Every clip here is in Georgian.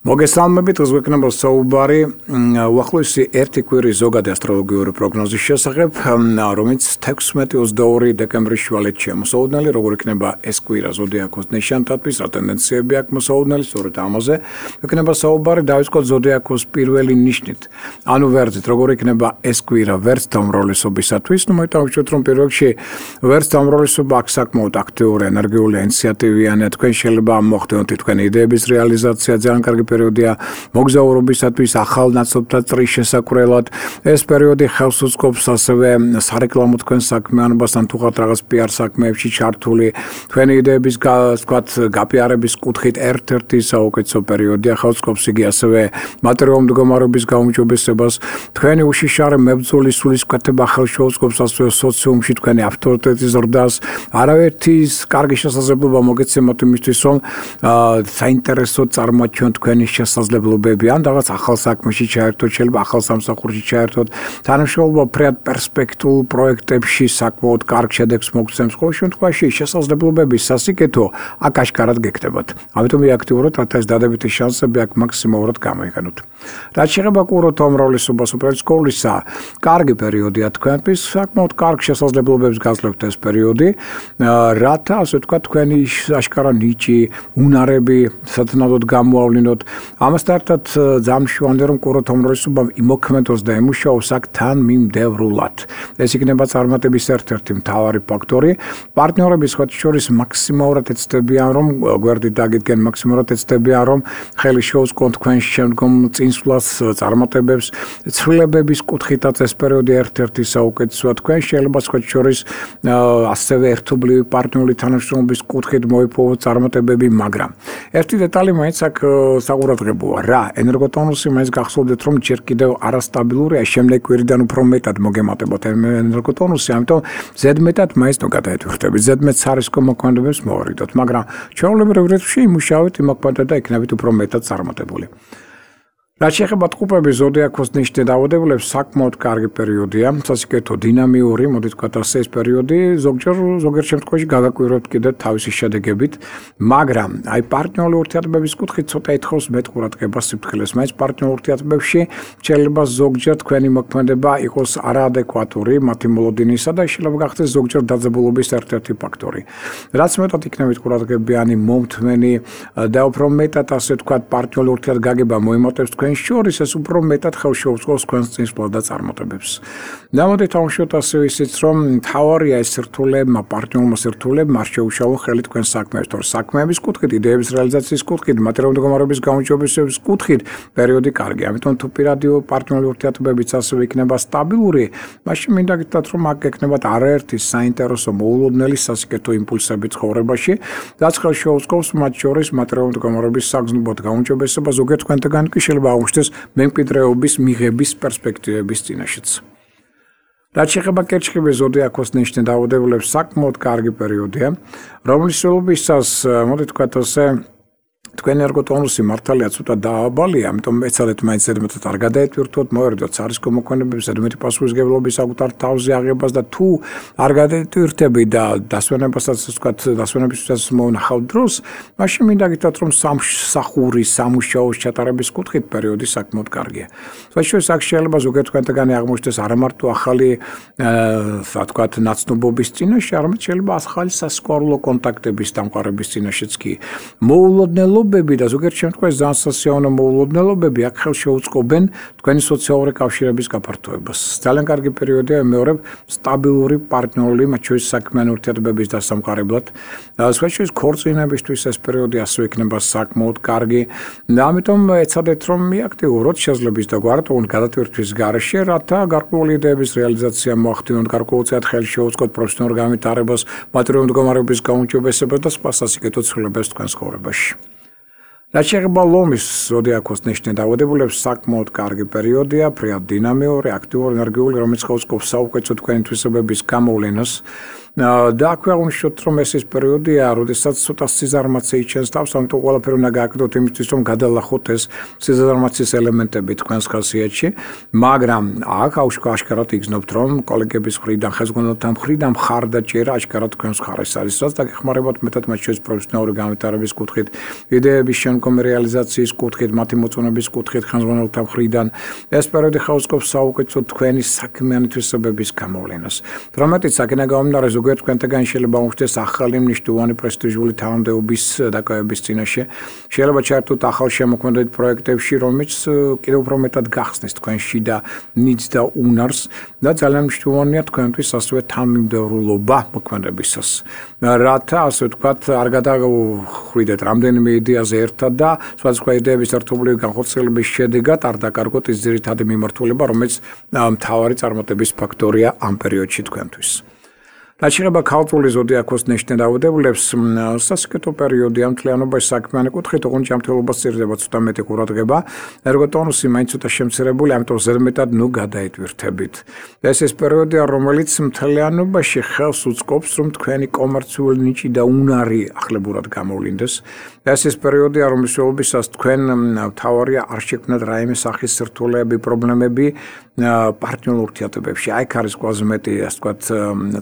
მოგესალმებით, ზღვეკნებო საუბარი უახლოესი ერთი კვირის ზოგადი ასტროლოგიური პროგნოზის შესახებ, რომელიც 16-22 დეკემბრის შუალედშია მოსაუბრებელი, როგორ იქნება ეს კვირა ზოდიაქოს ნიშანთათვის, რა ტენდენციები აქვს მოსაუბრებელი, სწორედ ამაზე იქნება საუბარი, დავიწყოთ ზოდიაქოს პირველი ნიშნით. ანუ ვერძით, როგორ იქნება ეს კვირა ვერც დამრავლესობისათვის, მოიტანოთ რომ პირველ რიგში ვერც დამრავლესობა აქვს საკმაოდ აქტიური, ენერგიული, ინიციატივიანი, თქვენ შეიძლება მოხდეთ თქვენი იდეების რეალიზაცია, ძალიან კარგი პერიოდია მოგზაურობისათვის, ახალ ნაცნობთა წრის შესაკვრელად. ეს პერიოდი ხელს უწყობს ასევე სარეკლამო თქვენ საქმიანობასთან თუ ხართ რაღაც PR საქმეებში ჩართული, თქვენი იდეების გაპიარების კუთხით ერთ-ერთი საუკეთესო პერიოდია, ხელს უწყობს იგი ასევე მატერიალური მდგომარეობის გაუმჯობესებას, თქვენი უშიშარი მებრძოლის სულისკვეთება ხელს შეუწყობს ასევე სოციუმში თქვენი ავტორიტეტის ზრდას. არავითის კარგი შესაძლებლობა მოგეცემოთ იმისთვის, რომ საინტერესო წარმოაჩინოთ თქვენი შესაძლებლობები, ან რაღაც ახალ საქმეში ჩაერთოთ, შეიძლება ახალ სამსახურში ჩაერთოთ, თანამშრომლობა ფრედ პერსპექტიულ პროექტებში საკმაოდ კარგ შედეგს მოგცემს, ყოველ შემთხვევაში შესაძლებლობების სასიკეთო აქ აშკარად გეკეთებათ. ამიტომ აქტიურობთ, რათა ეს დადებითი შანსები აქ მაქსიმალურად გამოიყენოთ. რაც შეეხება კურორტ უმრავლესობას უპირისკოლისა, კარგი პერიოდია თქვენთვის, საკმაოდ კარგ შესაძლებლობებს გაძლევთ ეს პერიოდი, რათა ასე ვთქვათ, თქვენი აშკარა ნიჭი, უნარები სათანადოდ გამოავლინოთ. ამასთან ერთად ძამშვანდი რომ კურორტ უმრავლესობამ იმოქმედოს და ემუშაოს აქ თანმიმდევრულად. ეს იქნება წარმატების ერთ-ერთი მთავარი ფაქტორი. პარტნიორების შორის მაქსიმალურად ეცდებიან რომ გვერდით დაგიდგენ, მაქსიმალურად ეცდებიან რომ ხელი შეუწყონ თქვენ შემდგომ წინსვლას, წარმატებებს, ცვლილებების კუთხითაც ეს პერიოდი ერთ-ერთი საუკეთესოა. თქვენ შეიძლება შორის ასევე ერთობლივი პარტნიორული თანამშრომლობის კუთხით მოიპოვოთ წარმატებები, მაგრამ ერთი დეტალი მაინც აქ საყურადღებოა რა, ენერგოტონუსი მაინც გახსოვდეთ რომ ჯერ კიდევ არასტაბილურია, შემდეგ კვირიდან უფრო მეტად მოგემატებოთ ენერგოტონუსი, ამიტომ ზედმეტად მაინც გადაეთვირთებით, ზედმეტ სარისკო მოქმედებებს მოვარიდოთ, მაგრამ ჩვეულებრივ რიცხვში იმუშავეთ, იმოქმედოთ და იქნებით უფრო მეტად წარმატებული. რაც შეეხება ტყუპების ზოდიაქოს ნიშნით დაავადებულებს, საკმაოდ კარგი პერიოდია, სასიკეთო დინამიური, მოდით ვთქვათ ასე ეს პერიოდი, ზოგიერთ შემთხვევაში გაგაკვირვებთ კიდევ თავისი შედეგებით, მაგრამ აი პარტნიორული ურთიერთობების კუთხით ცოტა ეთხოვს მეტ ყურადღებას სიფრთხილეს, მაინც პარტნიორულ ურთიერთობებში შეიძლება ზოგჯერ თქვენი მოქმედება იყოს არაადეკვატური მათი მოლოდინისა და შეიძლება გახდეს ზოგჯერ დაძაბულობის ერთ-ერთი ფაქტორი. რაც მეტად იქნებით ყურადღებიანი, მომთმენი და უფრო მეტად ასე ვთქვათ პარტნიორული ურთიერთგაგება მოიმატებს თქვენ შორის, ეს უფრო მეტად ხელს შეუწყობს თქვენს წინსვლას და წარმატებებს. დამოდით ავშოთ ასევე ისიც, რომ მთავარია ეს სირთულეებმა, პარტნიორულმა სირთულეებმა არ შეუშალონ ხელი თქვენ საქმეებს, თორე საქმეების კუთხით, იდეების რეალიზაციის კუთხით, მატერიალური მდგომარეობის გაუმჯობესების კუთხით პერიოდი კარგია. ამიტომ თუ პირადი პარტნიორული ურთიერთობებიც ასევე იქნება სტაბილური, მაშინ მინდა გითხრათ, რომ აქ გექნებათ არაერთი საინტერესო მოულოდნელი სასიკეთო იმპულსები ცხოვრებაში, რაც ხელს შეუწყობს მათ შორის მატერიალური მდგომარეობის საგრძნობლად გაუმჯობესება, ზოგიერთ თქვენთაგან კი შეიძლება აუჩნდეს მემკვიდრეობის მიღების პერსპექტივების წინაშეც. რაც შეეხება კერჩხიბის ზოდიაქოს ნიშნით დაავადებულებს, საკმაოდ კარგი პერიოდია, რომლის სრულობისას, მოდით ვთქვათ ასე, თქვენი ენერგოტონუსი მართალია ცოტა დააბალია, ამიტომ ეცადეთ მაინც ზედმეტად არ გადაეთვირთოთ, მოერიდოთ სარისკო მოქმედებებს, ზედმეტი პასუხისმგებლობის საკუთარ თავზე აღებას და თუ არ გადაეთვირთები და დასვენებასაც ვთქვათ, დასვენებისთვისაც მოუნახავთ დროს, მაშინ მინდა გითხრათ, რომ სამსახური, სამუშაოს ჩატარების კუთხით პერიოდი საკმაოდ კარგია. საერთოდ აქ შეიძლება ზოგიერთ თქვენთაგანი აღმოჩნდეს არა მარტო ახალი ვთქვათ, ნაცნობობის წინაშე, არამედ შეიძლება ახალი სასიყვარულო კონტაქტების დამყარების წინაშეც კი. მოულოდნელობები და ზოგიერთ შემთხვევაში ძალიან სასიამოვნო მოულოდნელობები აქ ხელს შეუწყობენ თქვენი სოციალური კავშირების გაფართოებას. ძალიან კარგი პერიოდია მეორე სტაბილური პარტნიორული, მათ შორის საქმიანი ურთიერთობების დასამყარებლად. სხვათა ქორწინებისთვის ეს პერიოდი ასევე იქნება საკმაოდ კარგი. და ამიტომ ეცადეთ რომ მიაქტიუროთ შესაძლებლობის და გვარად გადატვირთვის გარეშე, რათა გარკვეული იდეების რეალიზაცია მოახდინოთ, გარკვეულწილად ხელს შეუწყოთ პროფესიონალურ განვითარებას, მატერიალური მდგომარეობის გაუმჯობესებას და სხვა სასიკეთო ცვლილებებს თქვენს ცხოვრებაში. რაც შეეხება ლომის ზოდიაქოს ნიშნით დაავადებულებს, საკმაოდ კარგი პერიოდია, ფრიად დინამიური, აქტიური, ენერგიული, რომელიც ხელს უწყობს საუკეთესო თქვენი თვისებების გამოვლენას. და აქვე აღნიშნოთ, რომ ეს ის პერიოდია, როდესაც ცოტა სიზარმაცე იჩენს თავს, ამიტომ ყველაფერი უნდა გააკეთოთ იმისთვის, რომ გადალახოთ ეს სიზარმაცის ელემენტები თქვენს ხასიათში, მაგრამ აქ აშკარად იგრძნობთ, რომ კოლეგების მხრიდან, ხელმძღვანელთა მხრიდან მხარდაჭერა აშკარად თქვენს მხარეს არის, რაც დაგეხმარებათ მეტად მათ შორის პროფესიონალური განვითარების კუთხით, იდეების შემდგომი რეალიზაციის კუთხით, მათი მოწონების კუთხით ხელმძღვანელთა მხრიდან. ეს პერიოდი ხელსაუბრობს საუკეთესო თქვენი საქმიანი თვისებების გამოვლენას. რამეთიც აქედან გამომდინარე, ზოგიერთ თქვენთაგან შეიძლება მოხდეს ახალი მნიშვნელოვანი პრესტიჟული თანამდებობის დაკავების წინაშე. შეიძლება ჩაერთოთ ახალ შემოქმედებით პროექტებში, რომელიც კიდევ უფრო მეტად გახსნის თქვენში და ნიძს და უნარს და ძალიან მნიშვნელოვანია თქვენთვის ასევე თანმიმდევრულობა მოქმედებისას. რათა ასე ვთქვათ, არ გადახვიდეთ რამდენიმე იდეაზე ერთად და სხვადასხვა იდეების ერთობლივი განხორციელების შედეგად არ დაკარგოთ ის ძირითადი მიმართულება, რომელიც მთავარი წარმატების ფაქტორია ამ პერიოდში თქვენთვის. რაც შეეხება ქალწულის ზოდიაქოს ნიშნავებულებს, სასიკეთო პერიოდია მთლიანობაში საქმიანი კუთხით, ოღონდ ჯანმრთელობა სჭირდება ცოტა მეტი ყურადღება, ერგოტონუსი მაინც ცოტა შემცირებული, ამიტომ ზედმეტად გადაიტვირთებით. ეს ის პერიოდია, რომელიც მთლიანობაში ხელს უწყობს, რომ თქვენი კომერციული ნიჭი და უნარი ახლებურად გამოვლინდეს. ეს ის პერიოდია, რომლის შეულებისას თქვენ მთავარია არ შექმნათ რაიმე სახის სირთულეები, პრობლემები პარტნიორულ ურთიერთობებში. აქ არის ყველაზე მეტი, ასე ვთქვათ,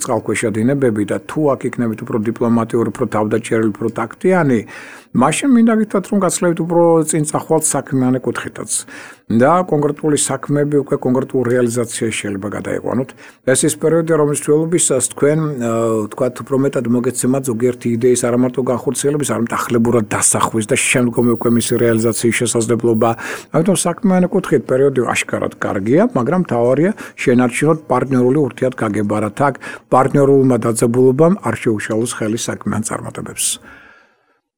წყალქვეშა დინებები და თუ აქ იქნებით უფრო დიპლომატიური, უფრო თავდაჭერილი, უფრო ტაქტიანი, მაშინ მინდა გითხრათ, რომ გაცლებით უფრო წინ წახვალთ საქმიანი კუთხითაც. და კონკრეტული საქმეები უკვე კონკრეტულ რეალიზაციაში შეიძლება გადაიყვანოთ. ეს ის პერიოდია, რომლის შეულებისას თქვენ ვთქვათ, უფრო მეტად მოგეცემათ ზოგიერთი იდეის არა მარტო განხორციელების, არამედ ახლებურად დასახვის და შემდგომი უკვე მისი რეალიზაციის შესაძლებლობა. ამიტომ საქმიანი კუთხით პერიოდი აშკარად კარგია, მაგრამ მთავარია შენარჩუნოთ პარტნიორული ურთიერთგაგება, რათა აქ პარტნიორულმა დაძაბულობამ არ შეუშალოს ხელი საქმიან წარმატებებს.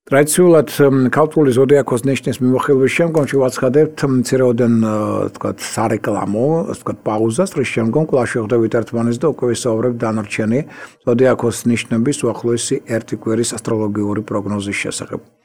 ტრადიციულად ქალწულის ზოდიაქოს ნიშნის მიმოხილვის შემდგომ შევაცხადებთ მცირეოდენ ვთქვათ სარეკლამო, ასე ვთქვათ პაუზას, რის შემდგომ კვლავ შევხვდებით ერთმანეთს და უკვე ვისაუბრებთ დანარჩენი ზოდიაქოს ნიშნების უახლოესი ერთი კვირის ასტროლოგიური პროგნოზის შესახებ.